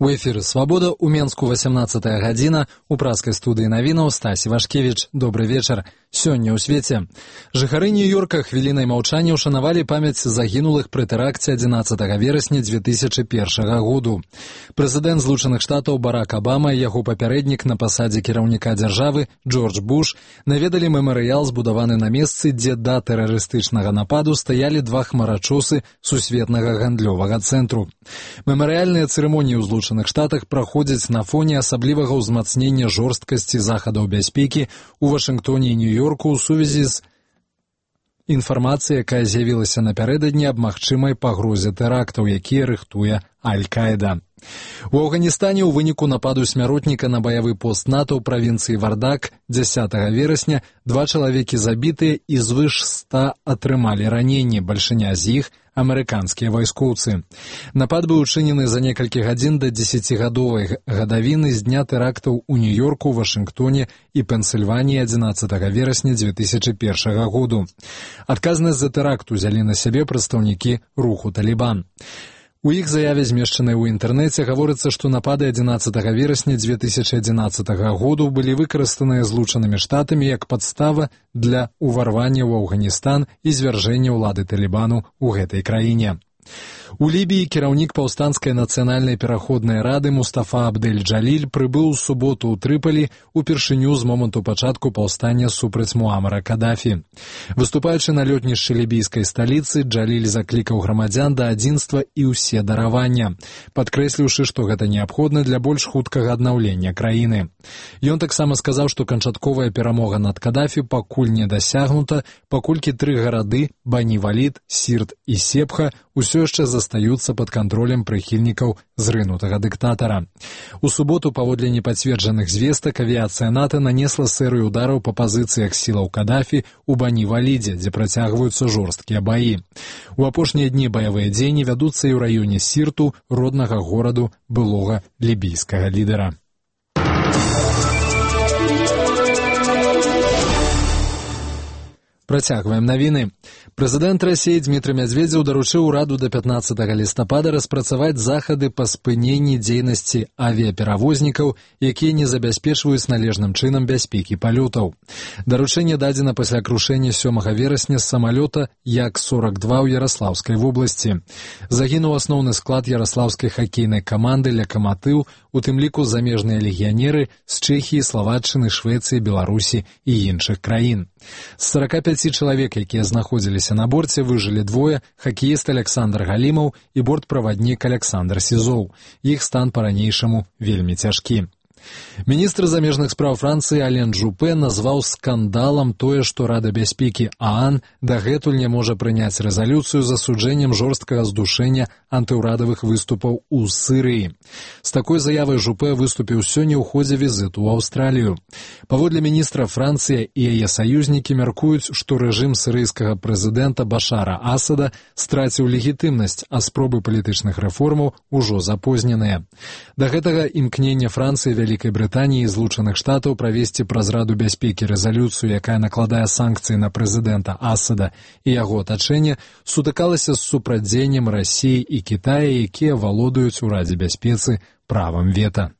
У эфіры «Свабода» у Менску 18-я гадзіна, у праскай студыі навінаў Стасі Вашкевіч. Добры вечар. Сёння ў свеце. Жыхары Нью-Йорка хвілінай маўчання ўшанавалі памяць загінулых пры тэракце 11 верасня 2001 году. Прэзідэнт Злучаных Штатаў Барак Абама і яго папярэднік на пасадзе кіраўніка дзяржавы Джордж Буш наведалі мемарыял, збудаваны на месцы, дзе да тэрарыстычнага нападу стаялі два хмарачосы сусветнага гандлёвага цэнтру. Мемарыяльныя цырымоніі ў Злучаных Штатах праходзяць на фоне асаблівага ўзмацнення жорсткасці захадаў бяспекі ў Вашынгтоне і Нью-Йорку ў сувязі з інфармацыяй, якая з'явілася напярэдадні аб магчымай пагрозе тэрактаў, якія рыхтуе Аль-Каіда. У Афганістане ў выніку нападу смяротніка на баявы пост НАТО ў правінцыі Вардак 10 верасня два чалавекі забітыя і звыш 100 атрымалі раненні, бальшыня з іх амерыканскія вайскоўцы. Напад быў учынены за некалькі гадзін да 10-гадовай гадавіны з дня тэрактаў у Нью-Йорку, Вашынгтоне і Пенсільваніі 11 верасня 2001 году. Адказнасць за тэракт узялі на сябе прадстаўнікі руху «Талібан». У іх заяве, змешчанай у інтэрнэце, гаворыцца, што напады 11 верасня 2011 году былі выкарыстаныя Злучанымі Штатамі як падстава для ўварвання ў Афганістан і звяржэння ўлады Талібану ў гэтай краіне. У Лібіі кіраўнік паўстанцкай нацыянальнай пераходнай рады Мустафа Абдэль-Джаліль прыбыў у суботу ў Трыполі упершыню з моманту пачатку паўстання супраць Муамара Кадафі. Выступаючы на лётнішчы лібійскай сталіцы, Джаліль заклікаў грамадзян да адзінства і ўсе даравання, падкрэсліўшы, што гэта неабходна для больш хуткага аднаўлення краіны. Ён таксама сказаў, што канчатковая перамога над Кадафі пакуль не дасягнута, паколькі тры гарады – Бані-Валід, Сірт і Сепха – усё яшчэ застаюцца пад кантролем прыхільнікаў зрынутага дыктатара. У суботу, паводле непацверджаных звестак, авіяцыя НАТО нанесла серыю удараў па пазіцыях сілаў Кадафі ў Бані-Валідзе, дзе працягваюцца жорсткія баі. У апошнія дні баявыя дзеянні вядуцца і ў раёне Сірту, роднага гораду былога лібійскага лідара. Працягваем навіны. Прэзідэнт Расіі Дмітрый Мядзведзеў даручыў ураду да 15 лістапада распрацаваць захады па спыненні дзейнасці авіяперавознікаў, якія не забяспечваюць належным чынам бяспекі палётаў. Даручэнне дадзена пасля крушэння 7 верасня з самалёта Як-42 ў Яраслаўскай вобласці. Загінуў асноўны склад яраслаўскай хакейнай каманды «Лакаматыў», у тым ліку замежныя легіянеры з Чэхіі, Славаччыны, Швецыі, Беларусі і іншых краін. З 45 чалавек, якія знаходзіліся на борце, выжылі двое – хакеіст Александр Галімаў і бортправаднік Александр Сізоў. Іх стан па-ранейшаму вельмі цяжкі. Міністр замежных спраў Францыі Ален Жупе назваў скандалам тое, што Рада бяспекі ААН дагэтуль не можа прыняць рэзалюцыю з асуджэннем жорсткага здушэння антыўрадавых выступаў у Сірыі. З такой заявай Жупе выступіў сёння ў ходзе візіту ў Аўстралію. Паводле міністра, Францыя і яе саюзнікі мяркуюць, што рэжым сірыйскага прэзідэнта Башара Асада страціў легітымнасць, а спробы палітычных рэформаў ужо запозненыя. Да гэтага імкнення Францыі, Вялікай Брытаніі і Злучаных Штатаў правесці праз Раду бяспекі рэзалюцыю, якая накладае санкцыі на прэзідэнта Асада і яго атачэнне, сутыкалася з супрацьдзеяннем Расіі і Кітая, якія валодаюць у Радзе бяспецы правам вета.